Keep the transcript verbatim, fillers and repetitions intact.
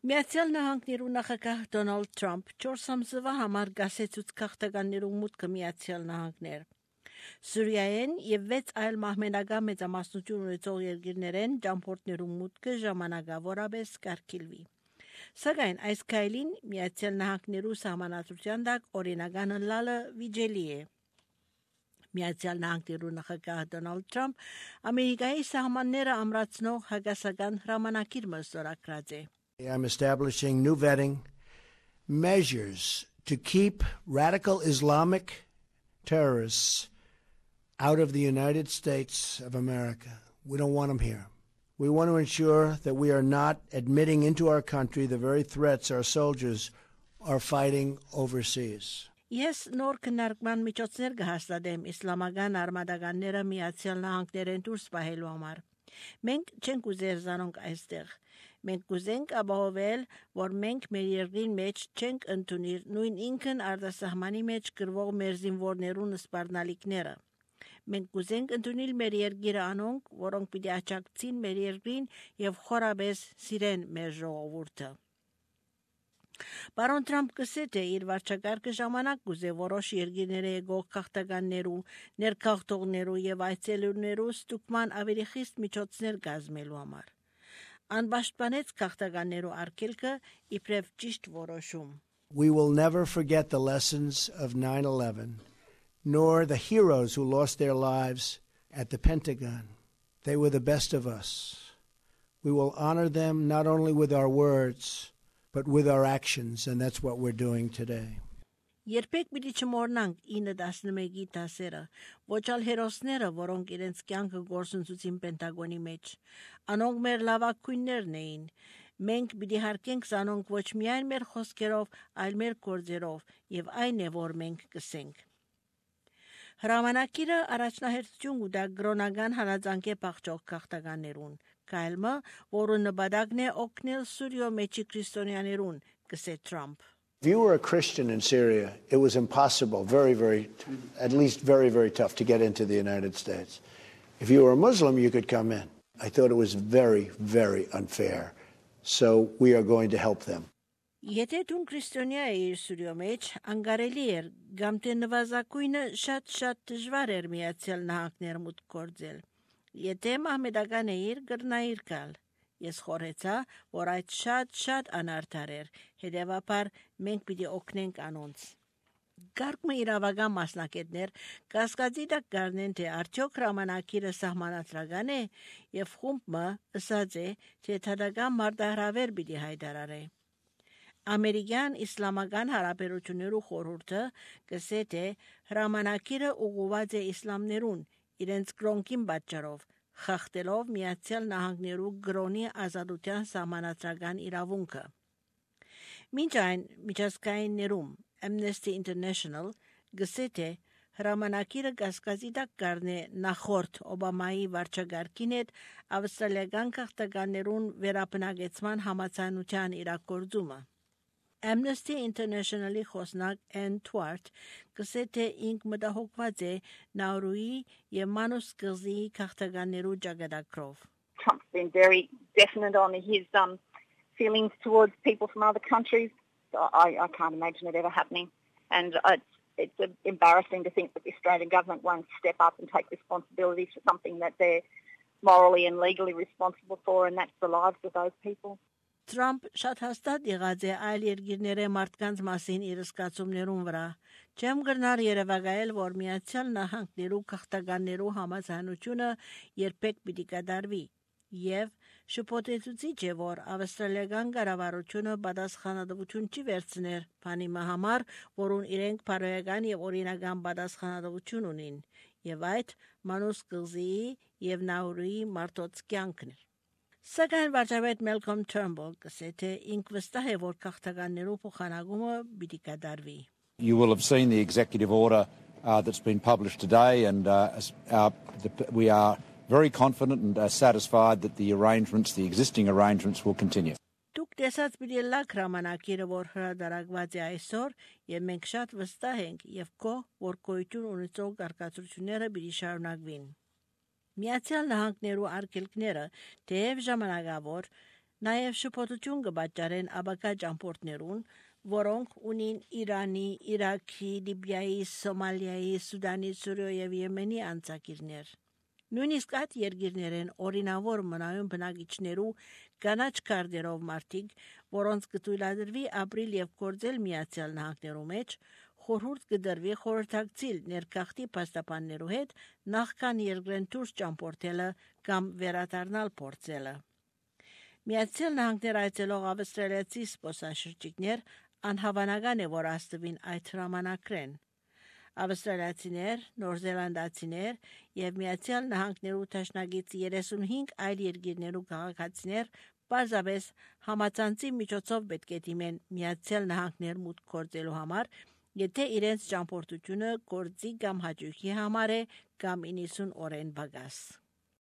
Միացյալ Նահանգներու նախագահ Դոնալդ Թրամփ չորս ամսվա համար գասեցուց քաղաքականներու մուտքը Միացյալ Նահանգներ։ Սուրիայեն եւ վեց այլ մահմենական մեծամասնություն ունեցող երկրներեն ճամփորդներու մուտքը ժամանակավորապես կարգիլվի։ Սակայն այս քայլին Միացյալ Նահանգներու սահմանադրության տակ օրինական լալը վիճելի է։ Միացյալ Նահանգներու նախագահ Դոնալդ Թրամփ Ամերիկայի սահմանները ամրացնող հակասական հրամանակիր մստորագրած է։ I'm establishing new vetting measures to keep radical Islamic terrorists out of the United States of America. We don't want them here. We want to ensure that we are not admitting into our country the very threats our soldiers are fighting overseas. Ես նոր քննարկման միջոցներ կհաստատեմ իսլամական արմատականները Միացյալ Նահանգներեն դուրս պահելու համար։ Մենք չենք ուզեր զանոնք այստեղ։ Մենք կուզենք ապահովել, որ մենք մեր երկրին մեջ չենք ընդունիր նույն ինքն արտասահմանի մեջ գրվող մեր զինվորներուն սպառնալիքները։ Մենք կուզենք ընդունել մեր երկիրը անոնք, որոնք պիտի աճակցին մեր երկրին եւ խորաբես սիրեն մեր ժողովուրդը։ Պարոն Թրամփ կսե թե իր վարչակարգը ժամանակ կուզե որոշ երկիրները եկող քաղաքականներու, ներքաղթողներու եւ այցելուներու ստուգման ավելի խիստ միջոցներ կազմելու համար։ Անպաշտպանեց քաղաքականներու արգելքը իբրև ճիշտ որոշում։ We will never forget the lessons of nine eleven, nor the heroes who lost their lives at the Pentagon. They were the best of us. We will honor them not only with our words, but with our actions, and that's what we're doing today. Երբեք պիտի չմոռնանք ինը տասնմեկի դասերը, ոչ ալ հերոսները, որոնք իրենց կյանքը գործընծուցին Պենտագոնի մեջ, անոնք մեր լավագույններն էին։ Մենք պիտի հարգենք զանոնք ոչ միայն մեր խոսքերով, այլ մեր գործերով, եւ այն է, որ մենք կսենք։ Հրամանակիրը առաջնահերթություն կտա գրոնական հալածանքի փախչող քաղաքականերուն, կայլմը, որը նպատակն է օգնել Սուրիո մեջի քրիստոնյաներուն, կսե Թրամփ։ If you were a Christian in Syria, it was impossible, very, very, at least very, very tough to get into the United States. If you were a Muslim, you could come in. I thought it was very, very unfair. So we are going to help them. Եթե դու քրիստոնյա ես Սուրիո մեջ, անկարելի էր, կամ թե նվազագույնը շատ-շատ դժվար էր Միացյալ Նահանգներ մուտք գործել։ Եթե մահմեդական էիր, գրնայիր գալ։ Ես խորհեցա, որ այդ շատ-շատ անարդար էր, հետևաբար մենք պիտի օգնենք անոնց։ Գարկմը իրավական մասնակետներ կասկածի տակ գարնեն, թե արդյոք հրամանակիրը սահմանադրական է եւ խումբը ըսած է, թե թադական մարտահրավեր պիտի հայտարարե։ Ամերիկյան իսլամական հարաբերություններու խորհուրդը կսե թե հրամանակիրը ուղղված է իսլամներուն իրենց կրոնքին պատճառով, խախտելով Միացյալ Նահանգներու գրոնի ազատության սահմանադրական իրավունքը։ Մինչ այն միջազգայիններում Amnesty International գսե թե հրամանակիրը կասկածի տակ կառնե նախորդ Օբամայի վարչագահքին հետ ավստրալիական քաղաքականերուն վերաբնակեցման համաձայնության իրագործումը։ Amnesty International-ի խոսնակ Ann Twart կսե թե ինք մտահոգված է Նաուրուի եւ Մանուս կղզի քաղաքականերու ճակատագրով։ Trump's been very definite on his um, feelings towards people from other countries. I, I can't imagine it ever happening. And uh, it's, it's uh, embarrassing to think that the Australian government won't step up and take responsibility for something that they're morally and legally responsible for, and that's the lives of those people. Trump շատ հաստատ եղած է այլ երկիրների մարդկանց մասին իր զգացումներուն վրա։ Չեմ գնար երևակայել, որ Միացյալ Նահանգներու քաղաքականներու համաձայնությունը երբեք պիտի կատարվի, եւ շփոթեցուցիչ է, որ ավստրալիական կառավարությունը պատասխանատվություն չի վերցներ բանիմա համար, որուն իրենք բարոյական եւ օրինական պատասխանատվություն ունին, եւ այդ Մանուս կղզիի եւ Նաուրուի մարդոց կյանքն է։ Սակայն վարչապետ Malcolm Turnbull կսե թե ինք վստահ է, որ քաղաքականներու փոխանակումը պիտի կատարվի։ You will have seen the executive order uh, that's been published today, and uh, our, the, we are very confident and uh, satisfied that the arrangements, the existing arrangements, will continue. Դուք տեսած պիտի լակ հրամանակիրը, որ հրադարակված է այսօր, եւ մենք շատ վստահ ենք եւ կո, որ գոյություն ունեցող կարգացությունները պիտի շարունակվին։ Միացյալ Նահանգներու արգելքները թեև ժամանակավոր Նաև շփոթություն կբաճարեն աբակա ճամփորդներուն, որոնք ունին Իրանի, Իրաքի, Լիբիայի, Սոմալիայի, Սուդանի, Սուրիայի եւ Եմենի անցակիրներ։ Նույնիսկ այդ երկիրներեն օրինավոր մնայուն բնակիչներու կանաչ քարտերով մարդիկ, որոնց կթույլատրվի ապրիլ եւ գործել Միացյալ Նահանգներու մեջ, խորհուրդ կդրվի խորհրդակցիլ ներքախտի փաստաբաններու հետ նախքան երկրեն դուրս ճամփորդելը կամ վերադառնալ փորձելը։ Միացյալ Նահանգներ այցելող ավստրալիացի զբոսաշրջիկներ անհավանական է, որ աստվին այդ հրամանակրեն։ Ավստրալիացիներ, նորզելանդացիներ եւ Միացյալ Նահանգներու տաշնագից երեսունհինգ այլ երկիրներու քաղաքացիներ պարզապես համացանցի միջոցով պետք է դիմեն Միացյալ Նահանգներ մուտք գործելու համար, եթե իրենց ճամփորդությունը գործի կամ հաճույքի համար է կամ իննսուն օրեն բագաս։